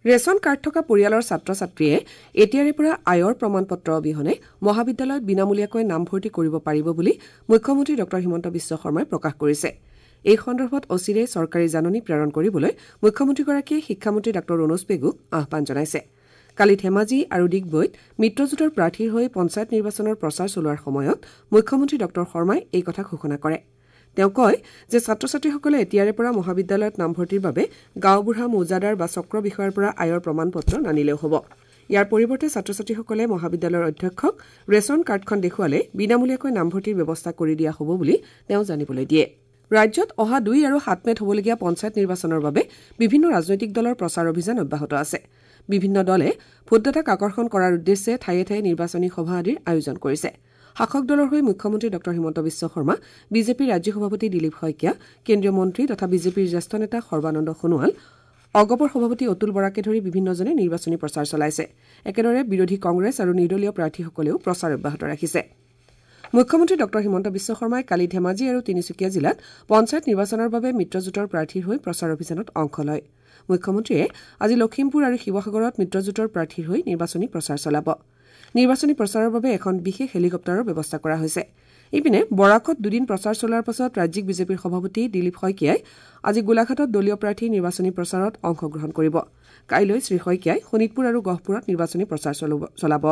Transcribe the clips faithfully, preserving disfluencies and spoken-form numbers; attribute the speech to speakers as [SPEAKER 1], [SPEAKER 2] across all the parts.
[SPEAKER 1] Ration card থকা পৰিয়ালৰ ছাত্ৰ-ছাত্ৰীয়ে এতিয়াৰে পৰা আয়ৰ প্ৰমাণপত্ৰ অবিহনে মহাবিদ্যালয়ত বিনামূলীয়াকৈ নামভৰ্তি কৰিব পাৰিব বুলি মুখ্যমন্ত্ৰী ডঃ হিমন্ত বিশ্ব শৰ্মাই প্ৰকাশ কৰিছে। এই সন্দৰ্ভত অচিৰেই চৰকাৰী জাননী প্ৰেৰণ কৰিবলৈ মুখ্যমন্ত্ৰীগৰাকীয়ে শিক্ষামন্ত্ৰী ডাঃ ৰণোজ পেগুক আহ্বান জনাইছে। কালি ধেমাজি আৰু ডিগবৈত মিত্ৰজোঁটৰ প্ৰাৰ্থীৰ হৈ পঞ্চায়ত নিৰ্বাচনৰ প্ৰচাৰ চলোৱাৰ সময়ত মুখ্যমন্ত্ৰী ডঃ শৰ্মাই এই কথা ঘোষণা কৰে। তেওঁ কয় যে ছাত্ৰ-ছাত্ৰীসকলে এতিয়াৰে পৰা মহাবিদ্যালয়ত নামভৰ্তিৰ বাবে গাঁওবুঢ়া, মৌজাদাৰ বা চক্ৰ বিষয়াৰ পৰা আয়ৰ প্ৰমাণপত্ৰ নানিলেও হ'ব। ইয়াৰ পৰিৱৰ্তে ছাত্ৰ-ছাত্ৰীসকলে মহাবিদ্যালয়ৰ অধ্যক্ষক ৰেচন কাৰ্ডখন দেখুৱালে বিনামূলীয়াকৈ নামভৰ্তিৰ ব্যৱস্থা কৰি দিয়া হ'ব বুলি তেওঁ জানিবলৈ দিয়ে। ৰাজ্যত অহা দুই আৰু সাত মেত হ'বলগীয়া পঞ্চায়ত নিৰ্বাচনৰ বাবে বিভিন্ন ৰাজনৈতিক দলৰ প্ৰচাৰ অভিযান অব্যাহত আছে। বিভিন্ন দলে ভোটদাতাক আকৰ্ষণ কৰাৰ উদ্দেশ্যে ঠায়ে ঠায়ে নিৰ্বাচনী সভা আদিৰ আয়োজন কৰিছে। শাসক দলৰ হৈ মুখ্যমন্ত্ৰী ডঃ হিমন্ত বিশ্ব শৰ্মা, বিজেপিৰ ৰাজ্যিক সভাপতি দিলীপ শইকীয়া, কেন্দ্ৰীয় মন্ত্ৰী তথা বিজেপিৰ জ্যেষ্ঠ নেতা সৰ্বানন্দ সোণোৱাল, অগপৰ সভাপতি অতুল বৰাকে ধৰি বিভিন্নজনে নিৰ্বাচনী প্ৰচাৰ চলাইছে। একেদৰে বিৰোধী কংগ্ৰেছ আৰু নিৰ্দলীয় প্ৰাৰ্থীসকলেও প্ৰচাৰ অব্যাহত ৰাখিছে। মুখ্যমন্ত্ৰী ডঃ হিমন্ত বিশ্ব শৰ্মাই কালি ধেমাজি আৰু তিনিচুকীয়া জিলাত পঞ্চায়ত নিৰ্বাচনৰ বাবে মিত্ৰজোঁটৰ প্ৰাৰ্থীৰ হৈ প্ৰচাৰ অভিযানত অংশ লয়। মুখ্যমন্ত্ৰীয়ে আজি লখিমপুৰ আৰু শিৱসাগৰত মিত্ৰজোঁটৰ প্ৰাৰ্থীৰ হৈ নিৰ্বাচনী প্ৰচাৰ চলাব। নিৰ্বাচনী প্ৰচাৰৰ বাবে এখন বিশেষ হেলিকপ্টাৰৰ ব্যৱস্থা কৰা হৈছে। ইপিনে বৰাকত দুদিন প্ৰচাৰ চলোৱাৰ পাছত ৰাজ্যিক বিজেপিৰ সভাপতি দিলীপ শইকীয়াই আজি গোলাঘাটত দলীয় প্ৰাৰ্থীৰ নিৰ্বাচনী প্ৰচাৰত অংশগ্ৰহণ কৰিব। কাইলৈ শ্ৰীশইকীয়াই শোণিতপুৰ আৰু গহপুৰত নিৰ্বাচনী প্ৰচাৰ চলাব।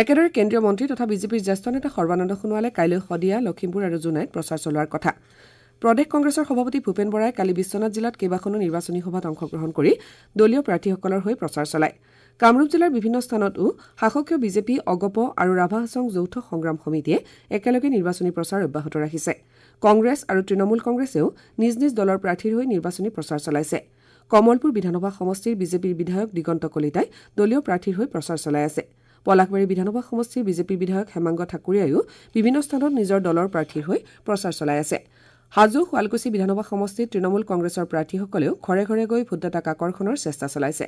[SPEAKER 1] একেদৰে কেন্দ্ৰীয় মন্ত্ৰী তথা বিজেপিৰ জ্যেষ্ঠ নেতা সৰ্বানন্দ সোণোৱালে কাইলৈ শদিয়া, লখিমপুৰ আৰু জোনাইত প্ৰচাৰ চলোৱাৰ কথা। প্ৰদেশ কংগ্ৰেছৰ সভাপতি ভূপেন বৰাই কালি বিশ্বনাথ জিলাত কেইবাখনো নিৰ্বাচনী সভাত অংশগ্ৰহণ কৰি দলীয় প্ৰাৰ্থীসকলৰ হৈ প্ৰচাৰ চলায়। কামৰূপ জিলাৰ বিভিন্ন স্থানতো শাসকীয় বিজেপি, অগপ আৰু ৰাভা হাছং যৌথ সংগ্ৰাম সমিতিয়ে একেলগে নিৰ্বাচনী প্ৰচাৰ অব্যাহত ৰাখিছে। কংগ্ৰেছ আৰু তৃণমূল কংগ্ৰেছেও নিজ নিজ দলৰ প্ৰাৰ্থীৰ হৈ নিৰ্বাচনী প্ৰচাৰ চলাইছে। কমলপুৰ বিধানসভা সমষ্টিৰ বিজেপিৰ বিধায়ক দিগন্ত কলিতাই দলীয় প্ৰাৰ্থীৰ হৈ প্ৰচাৰ চলাই আছে। পলাশবাৰী বিধানসভা সমষ্টিৰ বিজেপিৰ বিধায়ক হেমাংগ ঠাকুৰীয়াইও বিভিন্ন স্থানত নিজৰ দলৰ প্ৰাৰ্থীৰ হৈ প্ৰচাৰ চলাই আছে। হাজো, শুৱালকুছি বিধানসভা সমষ্টিত তৃণমূল কংগ্ৰেছৰ প্ৰাৰ্থীসকলেও ঘৰে ঘৰে গৈ ভোটদাতাক আকৰ্ষণৰ চেষ্টা চলাইছে।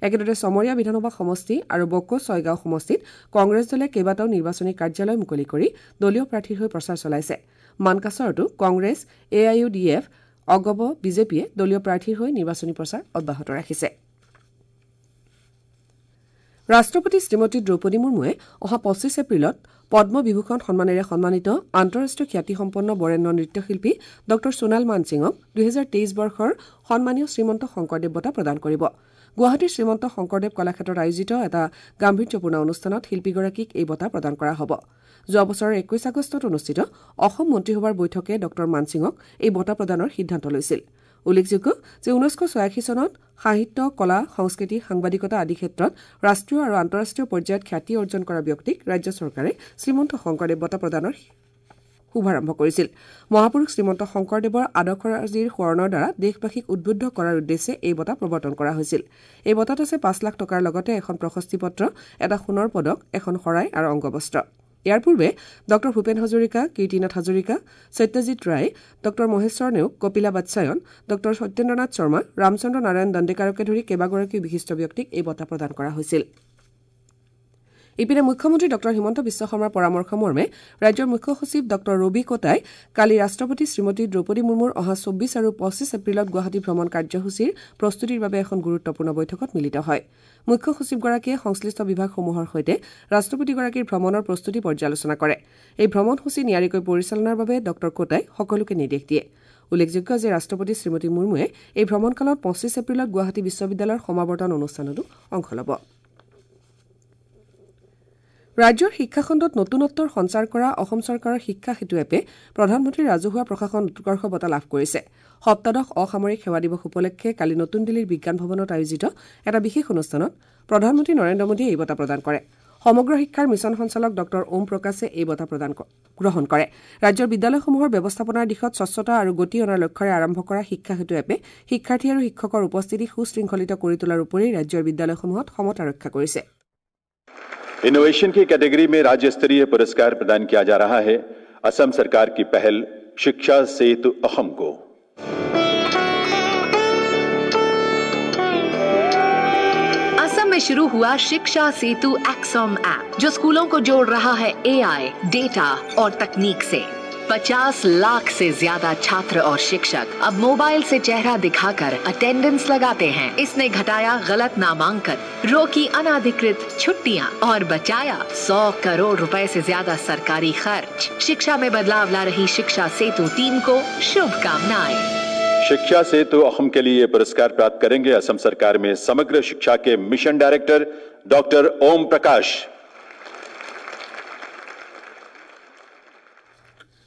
[SPEAKER 1] একেদৰে চমৰীয়া বিধানসভা সমষ্টি আৰু বকো ছয়গাঁও সমষ্টিত কংগ্ৰেছ দলে কেইবাটাও নিৰ্বাচনী কাৰ্যালয় মুকলি কৰি দলীয় প্ৰাৰ্থীৰ হৈ প্ৰচাৰ চলাইছে। মানকাচৰতো Congress, A I U D F, AGP, বিজেপিয়ে দলীয় প্ৰাৰ্থীৰ হৈ নিৰ্বাচনী প্ৰচাৰ অব্যাহত ৰাখিছে। ৰাষ্ট্ৰপতি শ্ৰীমতী দ্ৰৌপদী মুৰ্মুৱে অহা পঁচিছ এপ্ৰিলত পদ্মবিভূষণ সন্মানেৰে সন্মানিত আন্তঃৰাষ্ট্ৰীয় খ্যাতিসম্পন্ন বৰেণ্য নৃত্যশিল্পী ডঃ সোণাল মানসিঙক দুহেজাৰ তেইছ বৰ্ষৰ সন্মানীয় শ্ৰীমন্ত শংকৰদেৱ বঁটা প্ৰদান কৰিব। গুৱাহাটীৰ শ্ৰীমন্ত শংকৰদেৱ কলাক্ষেত্ৰত আয়োজিত এটা গাম্ভীৰ্যপূৰ্ণ অনুষ্ঠানত শিল্পীগৰাকীক এই বঁটা প্ৰদান কৰা হ'ব। যোৱা বছৰৰ একৈশ আগষ্টত অনুষ্ঠিত অসম মন্ত্ৰীসভাৰ বৈঠকে ডঃ মানসিঙক এই বঁটা প্ৰদানৰ সিদ্ধান্ত লৈছিল। উল্লেখযোগ্য যে ঊনৈছশ ছয়াশী চনত সাহিত্য, কলা, সংস্কৃতি, সাংবাদিকতা আদি ক্ষেত্ৰত ৰাষ্ট্ৰীয় আৰু আন্তঃৰাষ্ট্ৰীয় পৰ্যায়ত খ্যাতি অৰ্জন কৰা ব্যক্তিক ৰাজ্য চৰকাৰে শ্ৰীমন্ত শংকৰদেৱ বঁটা প্ৰদানৰ শুভাৰম্ভ কৰিছিল। মহাপুৰুষ শ্ৰীমন্ত শংকৰদেৱৰ আদৰ্শৰাজিৰ সোঁৱৰণৰ দ্বাৰা দেশবাসীক উদ্বুদ্ধ কৰাৰ উদ্দেশ্যে এই বঁটা প্ৰৱৰ্তন কৰা হৈছিল। এই বঁটাত আছে পাঁচ লাখ টকাৰ লগতে এখন প্ৰশস্তি পত্ৰ, এটা সোণৰ পদক, এখন শৰাই আৰু অংগবস্ত্ৰ। ইয়াৰ পূৰ্বে ডঃ ভূপেন হাজৰিকা, কীৰ্তিনাথ হাজৰিকা, সত্যজিৎ ৰায়, ডঃ মহেশ্বৰ নেওগ, কপিলা বাৎসায়ন, ডঃ সত্যেন্দ্ৰনাথ শৰ্মা, ৰামচন্দ্ৰ নাৰায়ণ দণ্ডেকাৰকে ধৰি কেইবাগৰাকীও বিশিষ্ট ব্যক্তিক এই বঁটা প্ৰদান কৰা হৈছিল। ইপিনে মুখ্যমন্ত্ৰী ডঃ হিমন্ত বিশ্ব শৰ্মাৰ পৰামৰ্শ মৰ্মে ৰাজ্যৰ মুখ্য সচিব ডঃ ৰবি কোটাই কালি ৰাষ্ট্ৰপতি শ্ৰীমতী দ্ৰৌপদী মুৰ্মুৰ অহা চৌব্বিছ আৰু পঁচিছ এপ্ৰিলত গুৱাহাটী ভ্ৰমণ কাৰ্যসূচীৰ প্ৰস্তুতিৰ বাবে এখন গুৰুত্বপূৰ্ণ বৈঠকত মিলিত হয়। মুখ্য সচিবগৰাকীয়ে সংশ্লিষ্ট বিভাগসমূহৰ সৈতে ৰাষ্ট্ৰপতিগৰাকীৰ ভ্ৰমণৰ প্ৰস্তুতি পৰ্যালোচনা কৰে। এই ভ্ৰমণসূচী নিয়াৰিকৈ পৰিচালনাৰ বাবে ডঃ কোটাই সকলোকে নিৰ্দেশ দিয়ে। উল্লেখযোগ্য যে ৰাষ্ট্ৰপতি শ্ৰীমতী মুৰ্মুৱে এই ভ্ৰমণকালত পঁচিছ এপ্ৰিলত গুৱাহাটী বিশ্ববিদ্যালয়ৰ সমাৱৰ্তন অনুষ্ঠানতো অংশ ল'ব। ৰাজ্যৰ শিক্ষাখণ্ডত নতুনত্বৰ সঞ্চাৰ কৰা অসম চৰকাৰৰ শিক্ষা সেতু এপে প্ৰধানমন্ত্ৰীৰ ৰাজহুৱা প্ৰশাসন উৎকৰ্ষ বঁটা লাভ কৰিছে। সপ্তাদশ অসামৰিক সেৱা দিৱস উপলক্ষে কালি নতুন দিল্লীৰ বিজ্ঞান ভৱনত আয়োজিত এটা বিশেষ অনুষ্ঠানত প্ৰধানমন্ত্ৰী নৰেন্দ্ৰ মোদীয়ে এই বঁটা প্ৰদান কৰে। সমগ্ৰ শিক্ষাৰ মিছন সঞ্চালক ডঃ ওম প্ৰকাশে এই বঁটা প্ৰদান গ্ৰহণ কৰে। ৰাজ্যৰ বিদ্যালয়সমূহৰ ব্যৱস্থাপনাৰ দিশত স্বচ্ছতা আৰু গতি অনাৰ লক্ষ্যৰে আৰম্ভ কৰা শিক্ষা সেতু এপে শিক্ষাৰ্থী আৰু শিক্ষকৰ উপস্থিতি সুশৃংখলিত কৰি তোলাৰ উপৰি ৰাজ্যৰ বিদ্যালয়সমূহত সমতা ৰক্ষা কৰিছে।
[SPEAKER 2] इनोवेशन की कैटेगरी में राज्य स्तरीय पुरस्कार प्रदान किया जा रहा है असम सरकार की पहल शिक्षा सेतु असम को।
[SPEAKER 3] असम में शुरू हुआ शिक्षा सेतु एक्सॉम ऐप, जो स्कूलों को जोड़ रहा है एआई, डेटा और तकनीक से। पचास लाख से ज्यादा छात्र और शिक्षक अब मोबाइल से चेहरा दिखाकर अटेंडेंस लगाते हैं। इसने घटाया गलत नामांकन, रोकी अनाधिकृत छुट्टियां और बचाया सौ करोड़ रुपए से ज्यादा सरकारी खर्च। शिक्षा में बदलाव ला रही शिक्षा सेतु टीम को शुभकामनाएं।
[SPEAKER 2] शिक्षा सेतु असम के लिए पुरस्कार प्राप्त करेंगे असम सरकार में समग्र शिक्षा के mission director doctor Om Prakash.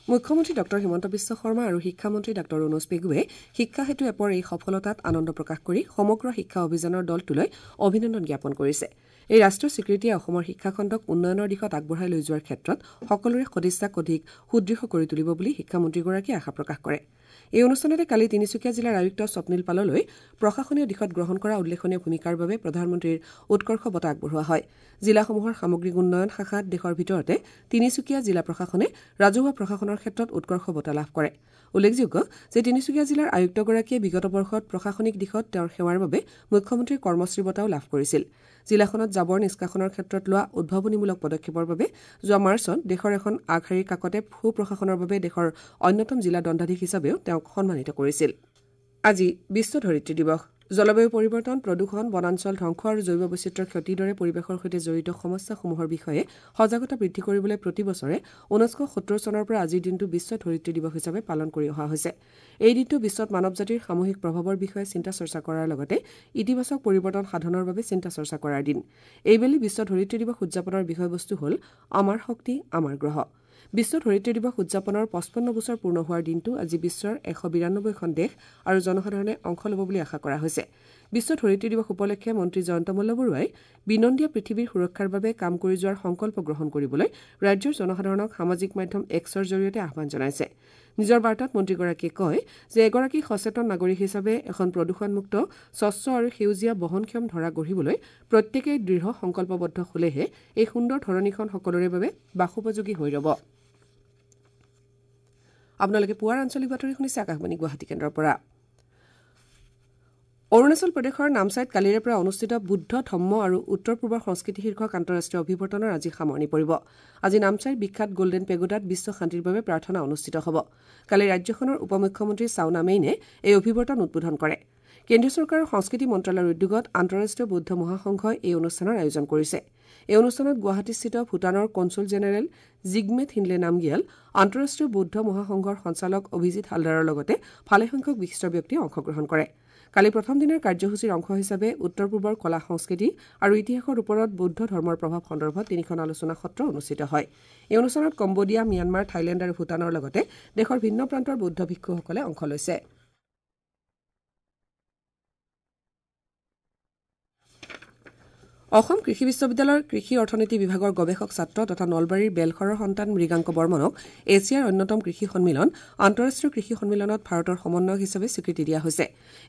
[SPEAKER 1] মুখ্যমন্ত্ৰী ডঃ হিমন্ত বিশ্ব শৰ্মা আৰু শিক্ষামন্ত্ৰী ডঃ ৰণোজ পেগুৱে শিক্ষা সেতু এপৰ এই সফলতাত আনন্দ প্ৰকাশ কৰি সমগ্ৰ শিক্ষা অভিযানৰ দলটোলৈ অভিনন্দন জ্ঞাপন কৰিছে। এই ৰাষ্ট্ৰীয় স্বীকৃতিয়ে অসমৰ শিক্ষাখণ্ডক উন্নয়নৰ দিশত আগবঢ়াই লৈ যোৱাৰ ক্ষেত্ৰত সকলোৰে সদিচ্ছাক অধিক সুদৃঢ় কৰি তুলিব বুলি শিক্ষামন্ত্ৰীগৰাকীয়ে আশা প্ৰকাশ কৰে। এই অনুষ্ঠানতে কালি তিনিচুকীয়া জিলাৰ আয়ুক্ত স্বপ্নীল পাললৈ প্ৰশাসনীয় দিশত গ্ৰহণ কৰা উল্লেখনীয় ভূমিকাৰ বাবে প্ৰধানমন্ত্ৰীৰ উৎকৰ্ষ বঁটা আগবঢ়োৱা হয়। জিলাসমূহৰ সামগ্ৰিক উন্নয়ন শাখাত দেশৰ ভিতৰতে তিনিচুকীয়া জিলা প্ৰশাসনে ৰাজহুৱা প্ৰশাসনৰ ক্ষেত্ৰত উৎকৰ্ষ বঁটা লাভ কৰে। উল্লেখযোগ্য যে তিনিচুকীয়া জিলাৰ আয়ুক্তগৰাকীয়ে বিগত বৰ্ষত প্ৰশাসনিক দিশত তেওঁৰ সেৱাৰ বাবে মুখ্যমন্ত্ৰীৰ কৰ্মশ্ৰী বঁটাও লাভ কৰিছিল। জিলাখনত জাবৰ নিষ্কাশনৰ ক্ষেত্ৰত লোৱা উদ্ভাৱনীমূলক পদক্ষেপৰ বাবে যোৱা মাৰ্চত দেশৰ এখন আগশাৰীৰ কাকতে সুপ্ৰশাসনৰ বাবে দেশৰ অন্যতম জিলা দণ্ডাধীশ হিচাপেও তেওঁক সন্মানিত কৰিছিল। আজি বিশ্ব ধৰিত্ৰী দিৱস। জলবায়ু পৰিৱৰ্তন, প্ৰদূষণ, বনাঞ্চল ধ্বংস আৰু জৈৱ বৈচিত্ৰ্যৰ ক্ষতিৰ দৰে পৰিৱেশৰ সৈতে জড়িত সমস্যাসমূহৰ বিষয়ে সজাগতা বৃদ্ধি কৰিবলৈ প্ৰতি বছৰে ঊনৈছশ সত্তৰ চনৰ পৰা আজিৰ দিনটো বিশ্ব ধৰিত্ৰী দিৱস হিচাপে পালন কৰি অহা হৈছে। এই দিনটো বিশ্বত মানৱ জাতিৰ সামূহিক প্ৰভাৱৰ বিষয়ে চিন্তা চৰ্চা কৰাৰ লগতে ইতিবাচক পৰিৱৰ্তন সাধনৰ বাবে চিন্তা চৰ্চা কৰাৰ দিন। এইবেলি বিশ্ব ধৰিত্ৰী দিৱস উদযাপনৰ বিষয়বস্তু হ'ল আমাৰ শক্তি আমাৰ গ্ৰহ। বিশ্ব ধৰিত্ৰী দিৱস উদযাপনৰ পঁচপন্ন বছৰ পূৰ্ণ হোৱাৰ দিনটো আজি বিশ্বৰ এশ বিৰান্নব্বৈখন দেশ আৰু জনসাধাৰণে অংশ ল'ব বুলি আশা কৰা হৈছে। বিশ্ব ধৰিত্ৰী দিৱস উপলক্ষে মন্ত্ৰী জয়ন্ত মল্ল বৰুৱাই বিনন্দীয়া পৃথিৱীৰ সুৰক্ষাৰ বাবে কাম কৰি যোৱাৰ সংকল্প গ্ৰহণ কৰিবলৈ ৰাজ্যৰ জনসাধাৰণক সামাজিক মাধ্যম এক্সৰ জৰিয়তে আহ্বান জনাইছে। নিজৰ বাৰ্তাত মন্ত্ৰীগৰাকীয়ে কয় যে এগৰাকী সচেতন নাগৰিক হিচাপে এখন প্ৰদূষণমুক্ত, স্বচ্ছ আৰু সেউজীয়া বহনক্ষম ধৰা গঢ়িবলৈ প্ৰত্যেকেই দৃঢ় সংকল্পবদ্ধ হ'লেহে এই সুন্দৰ ধৰণীখন সকলোৰে বাবে বাসোপযোগী হৈ ৰ'ব। আপোনালোকে পুৱাৰ আঞ্চলিক বাতৰি শুনিছে আকাশবাণী গুৱাহাটী কেন্দ্ৰৰ পৰা। অৰুণাচল প্ৰদেশৰ নামচাইত কালিৰে পৰা অনুষ্ঠিত বুদ্ধ ধম্ম আৰু উত্তৰ পূবৰ সংস্কৃতি শীৰ্ষক আন্তঃৰাষ্ট্ৰীয় অভিৱৰ্তনৰ আজি সামৰণি পৰিব। আজি নামচাইৰ বিখ্যাত গল্ডেন পেগোডাত বিশ্ব শান্তিৰ বাবে প্ৰাৰ্থনা অনুষ্ঠিত হ'ব। কালি ৰাজ্যখনৰ উপ মুখ্যমন্ত্ৰী চাওনা মেইনে এই অভিৱৰ্তন উদ্বোধন কৰে। কেন্দ্ৰীয় চৰকাৰৰ সংস্কৃতি মন্ত্ৰালয়ৰ উদ্যোগত আন্তঃৰাষ্ট্ৰীয় বৌদ্ধ মহাসংঘই এই অনুষ্ঠানৰ আয়োজন কৰিছে। এই অনুষ্ঠানত গুৱাহাটীস্থিত ভূটানৰ কনছুল জেনেৰেল জিগমে থিনলে নামগিয়াল, আন্তঃৰাষ্ট্ৰীয় বৌদ্ধ মহাসংঘৰ সঞ্চালক অভিজিৎ হালদাৰৰ লগতে ভালেসংখ্যক বিশিষ্ট ব্যক্তিয়ে অংশগ্ৰহণ কৰে। কালি প্ৰথম দিনাৰ কাৰ্যসূচীৰ অংশ হিচাপে উত্তৰ পূবৰ কলা সংস্কৃতি আৰু ইতিহাসৰ ওপৰত বৌদ্ধ ধৰ্মৰ প্ৰভাৱ সন্দৰ্ভত তিনিখন আলোচনা সত্ৰ অনুষ্ঠিত হয়। এই অনুষ্ঠানত কম্বোডিয়া, ম্যানমাৰ, থাইলেণ্ড আৰু ভূটানৰ লগতে দেশৰ ভিন্ন প্ৰান্তৰ বৌদ্ধ ভিক্ষুসকলে অংশ লৈছে। অসম কৃষি বিশ্ববিদ্যালয়ৰ কৃষি অৰ্থনীতি বিভাগৰ গৱেষক ছাত্ৰ তথা নলবাৰীৰ বেলশৰৰ সন্তান মৃগাংক বৰ্মনক এছিয়াৰ অন্যতম কৃষি সন্মিলন আন্তঃৰাষ্ট্ৰীয় কৃষি সন্মিলনত ভাৰতৰ সমন্বয়ক হিচাপে স্বীকৃতি দিয়া হৈছে।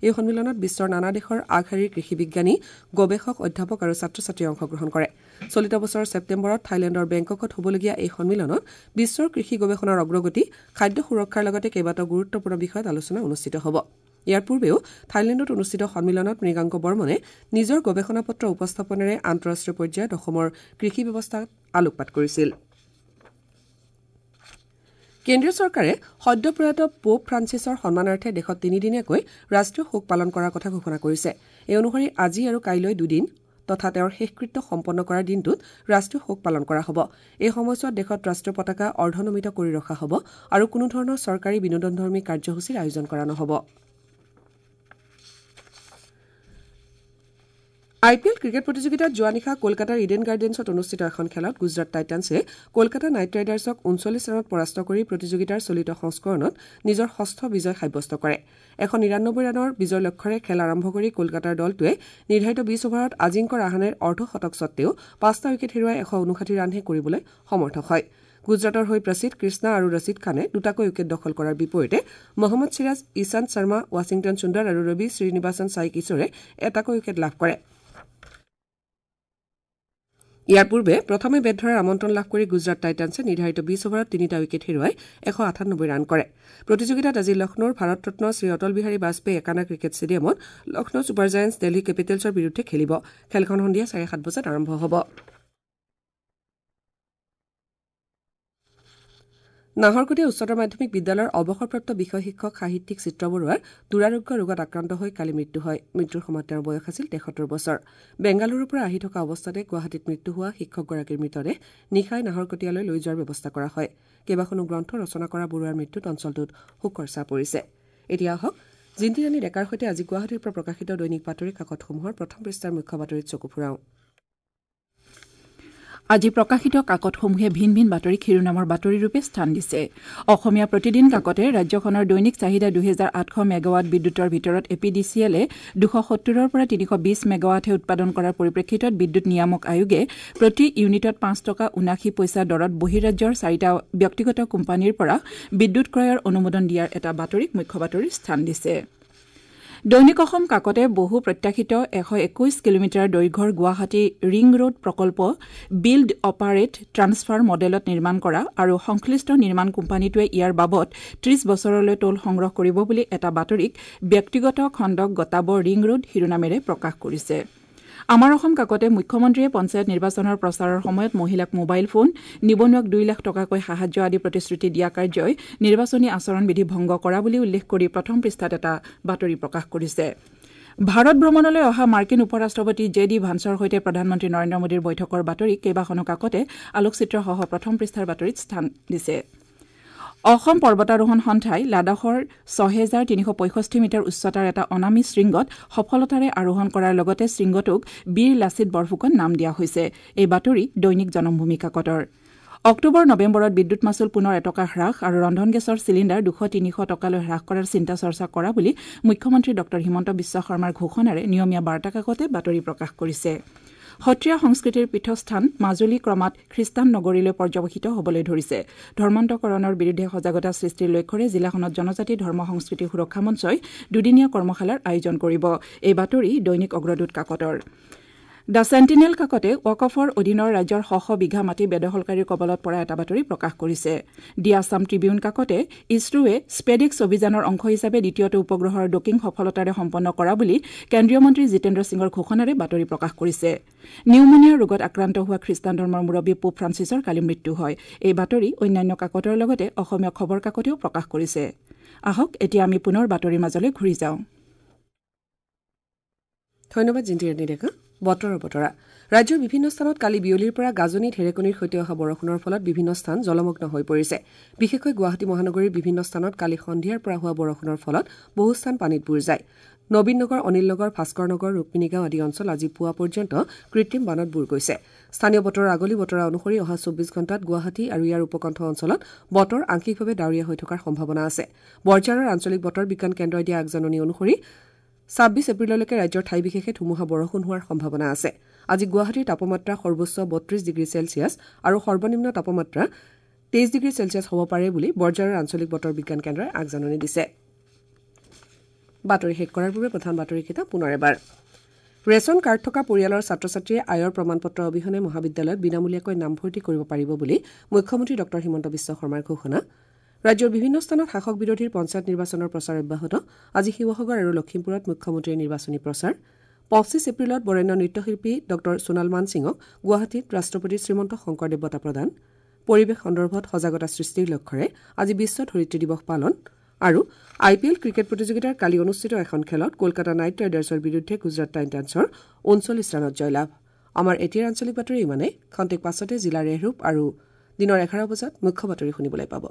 [SPEAKER 1] এই সন্মিলনত বিশ্বৰ নানা দেশৰ আগশাৰীৰ কৃষি বিজ্ঞানী, গৱেষক, অধ্যাপক আৰু ছাত্ৰ ছাত্ৰীয়ে অংশগ্ৰহণ কৰে। চলিত বছৰৰ ছেপ্টেম্বৰত থাইলেণ্ডৰ বেংককত হ'বলগীয়া এই সন্মিলনত বিশ্বৰ কৃষি গৱেষণাৰ অগ্ৰগতি, খাদ্য সুৰক্ষাৰ লগতে কেইবাটাও গুৰুত্বপূৰ্ণ বিষয়ত আলোচনা অনুষ্ঠিত হ'ব। ইয়াৰ পূৰ্বেও থাইলেণ্ডত অনুষ্ঠিত সন্মিলনত মৃগাংক বৰ্মনে নিজৰ গৱেষণা পত্ৰ উপস্থাপনেৰে আন্তঃৰাষ্ট্ৰীয় পৰ্যায়ত অসমৰ কৃষি ব্যৱস্থাত আলোকপাত কৰিছিল। কেন্দ্ৰীয় চৰকাৰে সদ্য প্ৰয়াত পোপ ফ্ৰান্সিছৰ সন্মানাৰ্থে দেশত তিনিদিনীয়াকৈ ৰাষ্ট্ৰীয় শোক পালন কৰাৰ কথা ঘোষণা কৰিছে। এই অনুসৰি আজি আৰু কাইলৈ দুদিন তথা তেওঁৰ শেষকৃত্য সম্পন্ন কৰাৰ দিনটোত ৰাষ্ট্ৰীয় শোক পালন কৰা হ'ব। এই সময়ছোৱাত দেশত ৰাষ্ট্ৰীয় পতাকা অৰ্ধনমিত কৰি ৰখা হ'ব আৰু কোনো ধৰণৰ চৰকাৰী বিনোদনধৰ্মী কাৰ্যসূচীৰ আয়োজন কৰা নহ'ব। আই পি এল ক্ৰিকেট প্ৰতিযোগিতাত যোৱা নিশা কলকাতাৰ ইডেন গাৰ্ডেন্সত অনুষ্ঠিত এখন খেলত গুজৰাট টাইটানছে কলকাতা নাইট ৰাইডাৰ্ছক ঊনচল্লিছ ৰানত পৰাস্ত কৰি প্ৰতিযোগিতাৰ চলিত সংস্কৰণত নিজৰ ষষ্ঠ বিজয় সাব্যস্ত কৰে। এশ নিৰান্নব্বৈ ৰানৰ বিজয় লক্ষ্যৰে খেল আৰম্ভ কৰি কলকাতাৰ দলটোৱে নিৰ্ধাৰিত বিছ অভাৰত আজিংক্য ৰাহানেৰ অৰ্ধ শতক সত্বেও পাঁচটা উইকেট হেৰুৱাই এশ ঊনষাঠি ৰানহে কৰিবলৈ সমৰ্থ হয়। গুজৰাটৰ হৈ প্ৰসিদ্ধ কৃষ্ণা আৰু ৰছিদ খানে দুটাকৈ উইকেট দখল কৰাৰ বিপৰীতে মহম্মদ চিৰাজ, ইশান্ত শৰ্মা, ৱাশ্বিংটন সুন্দৰ আৰু ৰবি শ্ৰীনিবাসন সাই কিশোৰে এটাকৈ উইকেট লাভ কৰে। ইয়াৰ পূৰ্বে প্ৰথমে বেট ধৰাৰ আমন্ত্ৰণ লাভ কৰি গুজৰাট টাইটানছে নিৰ্ধাৰিত বিছ অভাৰত তিনিটা উইকেট হেৰুৱাই এশ আঠানব্বৈ ৰান কৰে। প্ৰতিযোগিতাত আজি লক্ষ্ণৌৰ ভাৰতৰত্ন শ্ৰী অটল বিহাৰী বাজপেয়ী একানা ক্ৰিকেট ষ্টেডিয়ামত লক্ষ্ণৌ ছুপাৰ জায়েণ্টছ দিল্লী কেপিটেলছৰ বিৰুদ্ধে খেলিব। খেলখন সন্ধিয়া চাৰে সাত বজাত আৰম্ভ হ'ব। নাহৰকটীয়া উচ্চতৰ মাধ্যমিক বিদ্যালয়ৰ অৱসৰপ্ৰাপ্ত বিষয় শিক্ষক সাহিত্যিক চিত্ৰ বৰুৱাৰ দুৰাৰোগ্য ৰোগত আক্ৰান্ত হৈ কালি মৃত্যু হয়। মৃত্যুৰ সময়ত তেওঁৰ বয়স আছিল তেসত্তৰ বছৰ। বেংগালুৰুৰ পৰা আহি থকা অৱস্থাতে গুৱাহাটীত মৃত্যু হোৱা শিক্ষকগৰাকীৰ মৃতদেহ নিশাই নাহৰকটীয়ালৈ লৈ যোৱাৰ ব্যৱস্থা কৰা হয়। কেইবাখনো গ্ৰন্থ ৰচনা কৰা বৰুৱাৰ মৃত্যুত অঞ্চলটোত শোকৰ ছাঁ পৰিছে। এতিয়া আহক জিন্তিৰাণী ডেকাৰ সৈতে আজি গুৱাহাটীৰ পৰা প্ৰকাশিত দৈনিক বাতৰি কাকতসমূহৰ প্ৰথম পৃষ্ঠাৰ মুখ্য বাতৰিত চকু ফুৰাওঁ।
[SPEAKER 4] আজি প্ৰকাশিত কাকতসমূহে ভিন ভিন বাতৰিক শিৰোনামৰ বাতৰিৰূপে স্থান দিছে। অসমীয়া প্ৰতিদিন কাকতে ৰাজ্যখনৰ দৈনিক চাহিদা দুহেজাৰ আঠশ মেগাৱাট বিদ্যুতৰ ভিতৰত এ পি ডি চি এলে দুশ সত্তৰৰ পৰা তিনিশ বিশ মেগাৱাটহে উৎপাদন কৰাৰ পৰিপ্ৰেক্ষিতত বিদ্যুৎ নিয়ামক আয়োগে প্ৰতি ইউনিটত পাঁচ টকা ঊনাশী পইচা দৰত বহিৰাজ্যৰ চাৰিটা ব্যক্তিগত কোম্পানীৰ পৰা বিদ্যুৎ ক্ৰয়ৰ অনুমোদন দিয়াৰ এটা বাতৰিক মুখ্য বাতৰিৰ স্থান দিছে। দৈনিক অসম কাকতে বহু প্ৰত্যাশিত এশ একৈশ কিলোমিটাৰ দৈৰ্ঘ্যৰ গুৱাহাটী ৰিং ৰোড প্ৰকল্প বিল্ড অপাৰেট ট্ৰান্সফাৰ মডেলত নিৰ্মাণ কৰা আৰু সংশ্লিষ্ট নিৰ্মাণ কোম্পানীটোৱে ইয়াৰ বাবদ ত্ৰিশ বছৰলৈ টোল সংগ্ৰহ কৰিব বুলি এটা বাতৰিক ব্যক্তিগত খণ্ডক গতাব ৰিং ৰোড শিৰোনামেৰে প্ৰকাশ কৰিছে। আমাৰ অসম কাকতে মুখ্যমন্ত্ৰীয়ে পঞ্চায়ত নিৰ্বাচনৰ প্ৰচাৰৰ সময়ত মহিলাক মোবাইল ফোন, নিবনুৱাক দুই লাখ টকাকৈ সাহায্য আদি প্ৰতিশ্ৰুতি দিয়া কাৰ্যই নিৰ্বাচনী আচৰণবিধি ভংগ কৰা বুলি উল্লেখ কৰি প্ৰথম পৃষ্ঠাত এটা বাতৰি প্ৰকাশ কৰিছে। ভাৰত ভ্ৰমণলৈ অহা মাৰ্কিন উপ ৰাষ্ট্ৰপতি জে ডি ভান্সৰ সৈতে প্ৰধানমন্ত্ৰী নৰেন্দ্ৰ মোদীৰ বৈঠকৰ বাতৰি কেইবাখনো কাকতে আলোকচিত্ৰসহ প্ৰথম পৃষ্ঠাৰ বাতৰিত স্থান দিছে। অসম পৰ্বতাৰোহণ সন্থাই লাডাখৰ ছহেজাৰ তিনিশ পঁয়ষষ্ঠি মিটাৰ উচ্চতাৰ এটা অনামী শৃংগত সফলতাৰে আৰোহণ কৰাৰ লগতে শৃংগটোক বীৰ লাচিত বৰফুকন নাম দিয়া হৈছে। এই বাতৰি দৈনিক জনমভূমি কাকতৰ। অক্টোবৰ নৱেম্বৰত বিদ্যুৎ মাচুল পুনৰ এটকা হ্ৰাস আৰু ৰন্ধন গেছৰ চিলিণ্ডাৰ দুশ তিনিশ টকালৈ হ্ৰাস কৰাৰ চিন্তা চৰ্চা কৰা বুলি মুখ্যমন্ত্ৰী ডঃ হিমন্ত বিশ্ব শৰ্মাৰ ঘোষণাৰে নিয়মীয়া বাৰ্তা কাকতে বাতৰি প্ৰকাশ কৰিছে। সত্ৰীয়া সংস্কৃতিৰ পীঠস্থান মাজুলী ক্ৰমাৎ খ্ৰীষ্টান নগৰীলৈ পৰ্যবসিত হ'বলৈ ধৰিছে। ধৰ্মান্তকৰণৰ বিৰুদ্ধে সজাগতা সৃষ্টিৰ লক্ষ্যৰে জিলাখনত জনজাতি ধৰ্ম সংস্কৃতি সুৰক্ষা মঞ্চই দুদিনীয়া কৰ্মশালাৰ আয়োজন কৰিব। এই বাতৰি দৈনিক অগ্ৰদূত কাকতৰ। The sentinel কাকতে ৱাকফৰ অধীনৰ ৰাজ্যৰ শ শ বিঘা মাটি বেদখলকাৰীৰ কবলত পৰা এটা বাতৰি প্ৰকাশ কৰিছে। দি আছাম ট্ৰিবিউন কাকতে ইছৰোৱে স্পেডেক্স অভিযানৰ অংশ হিচাপে দ্বিতীয়টো উপগ্ৰহৰ ডকিং সফলতাৰে সম্পন্ন কৰা বুলি কেন্দ্ৰীয় মন্ত্ৰী জিতেন্দ্ৰ সিঙৰ ঘোষণাৰে বাতৰি প্ৰকাশ কৰিছে। নিউমোনিয়া ৰোগত আক্ৰান্ত হোৱা খ্ৰীষ্টান ধৰ্মৰ মুৰব্বী পোপ ফ্ৰান্সিছৰ কালি মৃত্যু হয়। এই বাতৰি অন্যান্য কাকতৰ লগতে অসমীয়া খবৰ কাকতেও প্ৰকাশ কৰিছে। আহক এতিয়া আমি পুনৰ বাতৰিৰ মাজলৈ ঘূৰি যাওঁ।
[SPEAKER 1] ধন্যবাদ জিন্তিৰাণী ডেকা। বতৰৰ বতৰা। ৰাজ্যৰ বিভিন্ন স্থানত কালি বিয়লিৰ পৰা গাজনি ঢেৰেকনিৰ সৈতে অহা বৰষুণৰ ফলত বিভিন্ন স্থান জলমগ্ন হৈ পৰিছে। বিশেষকৈ গুৱাহাটী মহানগৰীৰ বিভিন্ন স্থানত কালি সন্ধিয়াৰ পৰা হোৱা বৰষুণৰ ফলত বহু স্থান পানীত বুৰ যায়। নবীন নগৰ, অনিল নগৰ, ভাস্কৰ নগৰ, ৰুক্মিণীগাঁও আদি অঞ্চল আজি পুৱা পৰ্যন্ত কৃত্ৰিম বানত বুৰ গৈছে। স্থানীয় বতৰৰ আগলি বতৰা অনুসৰি অহা চৌব্বিছ ঘণ্টাত গুৱাহাটী আৰু ইয়াৰ উপকণ্ঠ অঞ্চলত বতৰ আংশিকভাৱে ডাৱৰীয়া হৈ থকাৰ সম্ভাৱনা আছে। বৰঝাৰৰ আঞ্চলিক বতৰ বিজ্ঞান কেন্দ্ৰই দিয়া আগজাননী অনুসৰি ছাব্বিছ এপ্ৰিললৈকে ৰাজ্যৰ ঠাই বিশেষে ধুমুহা বৰষুণ হোৱাৰ সম্ভাৱনা আছে। আজি গুৱাহাটীৰ তাপমাত্ৰা সৰ্বোচ্চ বত্ৰিশ ডিগ্ৰী চেলছিয়াছ আৰু সৰ্বনিম্ন তাপমাত্ৰা তেইছ ডিগ্ৰী চেলছিয়াছ হ'ব পাৰে বুলি বৰঝাৰৰ আঞ্চলিক বতৰ বিজ্ঞান কেন্দ্ৰই আগজাননী দিছে। বাতৰি শেষ কৰাৰ পূৰ্বে প্ৰধান বাতৰিকেইটা পুনৰ এবাৰ। ৰেচন কাৰ্ড থকা পৰিয়ালৰ ছাত্ৰ ছাত্ৰীয়ে আয়ৰ প্ৰমাণপত্ৰ অবিহনে মহাবিদ্যালয়ত বিনামূলীয়াকৈ নামভৰ্তি কৰিব পাৰিব বুলি মুখ্যমন্ত্ৰী ডঃ হিমন্ত বিশ্ব শৰ্মাৰ ঘোষণা। ৰাজ্যৰ বিভিন্ন স্থানত শাসক বিৰোধীৰ পঞ্চায়ত নিৰ্বাচনৰ প্ৰচাৰ অব্যাহত। আজি শিৱসাগৰ আৰু লখিমপুৰত মুখ্যমন্ত্ৰীৰ নিৰ্বাচনী প্ৰচাৰ। পঁচিছ এপ্ৰিলত বৰেণ্য নৃত্যশিল্পী ডঃ সোণাল মানসিঙক গুৱাহাটীত ৰাষ্ট্ৰপতি শ্ৰীমন্ত শংকৰদেৱ বঁটা প্ৰদান। পৰিৱেশ সন্দৰ্ভত সজাগতা সৃষ্টিৰ লক্ষ্যৰে আজি বিশ্ব ধৰিত্ৰী দিৱস পালন। আৰু আই পি এল ক্ৰিকেট প্ৰতিযোগিতাৰ কালি অনুষ্ঠিত এখন খেলত কলকাতা নাইট ৰাইডাৰ্ছৰ বিৰুদ্ধে গুজৰাট টাইটানছৰ ঊনচল্লিছ ৰানত জয়লাভ। আমাৰ এতিয়াৰ আঞ্চলিক বাতৰি ইমানেই। খন্তেক পাছতে জিলাৰ ৰেহৰূপ আৰু দিনৰ এঘাৰ বজাত মুখ্য বাতৰি শুনিবলৈ পাব।